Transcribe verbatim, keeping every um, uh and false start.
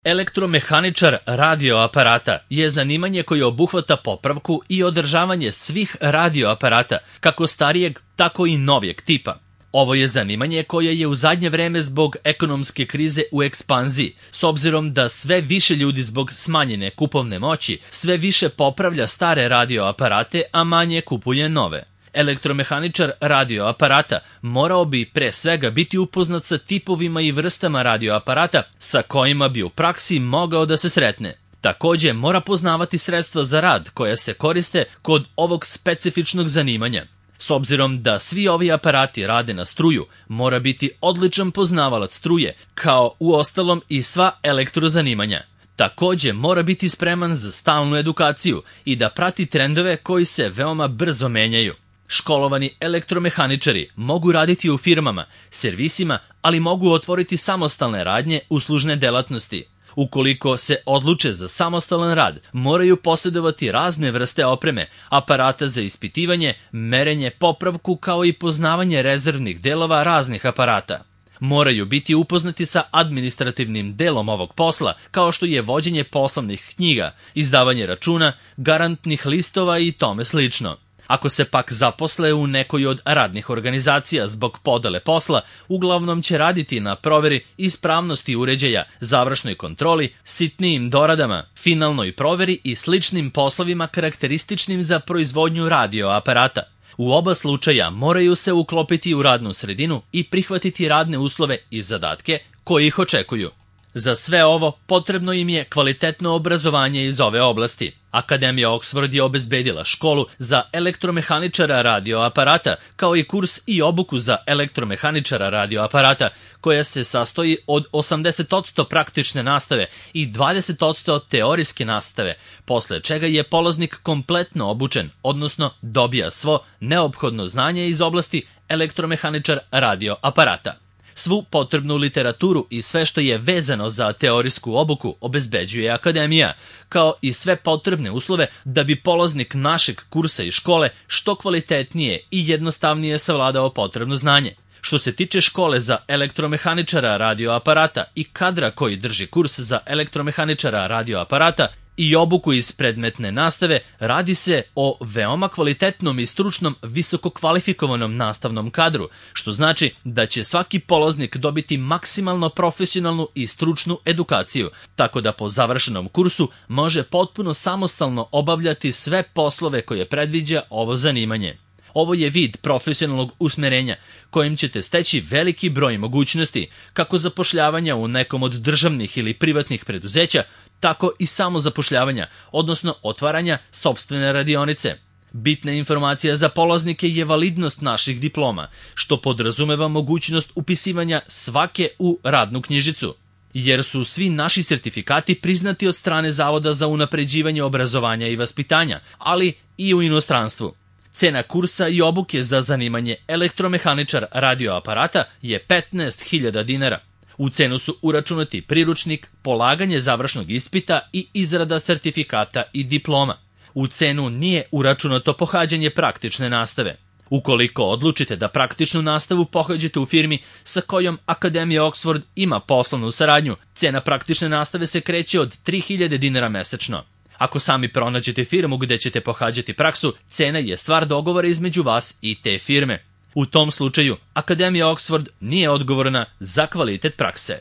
Elektromehaničar radioaparata je zanimanje koje obuhvata popravku i održavanje svih radioaparata, kako starijeg, tako i novijeg tipa. Ovo je zanimanje koje je u zadnje vreme zbog ekonomske krize u ekspanziji, s obzirom da sve više ljudi zbog smanjene kupovne moći sve više popravlja stare radioaparate, a manje kupuje nove. Elektromehaničar radioaparata morao bi pre svega biti upoznat sa tipovima i vrstama radioaparata sa kojima bi u praksi mogao da se sretne. Takođe mora poznavati sredstva za rad koja se koriste kod ovog specifičnog zanimanja. S obzirom da svi ovi aparati rade na struju, mora biti odličan poznavalac struje, kao uostalom i sva elektrozanimanja. Takođe mora biti spreman za stalnu edukaciju i da prati trendove koji se veoma brzo menjaju. Školovani elektromehaničari mogu raditi u firmama, servisima, ali mogu otvoriti samostalne radnje, uslužne delatnosti. Ukoliko se odluče za samostalan rad, moraju posjedovati razne vrste opreme, aparata za ispitivanje, merenje, popravku kao i poznavanje rezervnih delova raznih aparata. Moraju biti upoznati sa administrativnim delom ovog posla, kao što je vođenje poslovnih knjiga, izdavanje računa, garantnih listova i tome slično. Ako se pak zaposle u nekoj od radnih organizacija zbog podele posla, uglavnom će raditi na proveri ispravnosti uređaja, završnoj kontroli, sitnijim doradama, finalnoj proveri i sličnim poslovima karakterističnim za proizvodnju radioaparata. U oba slučaja moraju se uklopiti u radnu sredinu i prihvatiti radne uslove i zadatke koji ih očekuju. Za sve ovo potrebno im je kvalitetno obrazovanje iz ove oblasti. Akademija Oxford je obezbedila školu za elektromehaničara radioaparata, kao i kurs i obuku za elektromehaničara radioaparata, koja se sastoji od osamdeset posto praktične nastave i dvadeset posto teorijske nastave, posle čega je polaznik kompletno obučen, odnosno dobija svo neophodno znanje iz oblasti elektromehaničar radioaparata. Svu potrebnu literaturu i sve što je vezano za teorijsku obuku obezbeđuje Akademija, kao i sve potrebne uslove da bi polaznik našeg kursa i škole što kvalitetnije i jednostavnije savladao potrebno znanje. Što se tiče škole za elektromehaničara radioaparata i kadra koji drži kurs za elektromehaničara radioaparata i obuku iz predmetne nastave, radi se o veoma kvalitetnom i stručnom visoko kvalifikovanom nastavnom kadru, što znači da će svaki polaznik dobiti maksimalno profesionalnu i stručnu edukaciju, tako da po završenom kursu može potpuno samostalno obavljati sve poslove koje predviđa ovo zanimanje. Ovo je vid profesionalnog usmerenja kojim ćete steći veliki broj mogućnosti, kako zapošljavanja u nekom od državnih ili privatnih preduzeća, tako i samozapošljavanja, odnosno otvaranja sopstvene radionice. Bitna informacija za polaznike je validnost naših diploma, što podrazumeva mogućnost upisivanja svake u radnu knjižicu, jer su svi naši sertifikati priznati od strane Zavoda za unapređivanje obrazovanja i vaspitanja, ali i u inostranstvu. Cena kursa i obuke za zanimanje elektromehaničar radioaparata je petnaest hiljada dinara. U cenu su uračunati priručnik, polaganje završnog ispita i izrada sertifikata i diploma. U cenu nije uračunato pohađanje praktične nastave. Ukoliko odlučite da praktičnu nastavu pohađate u firmi sa kojom Akademija Oxford ima poslovnu saradnju, cena praktične nastave se kreće od tri hiljade dinara mesečno. Ako sami pronađete firmu gde ćete pohađati praksu, cena je stvar dogovora između vas i te firme. U tom slučaju, Akademija Oxford nije odgovorna za kvalitet prakse.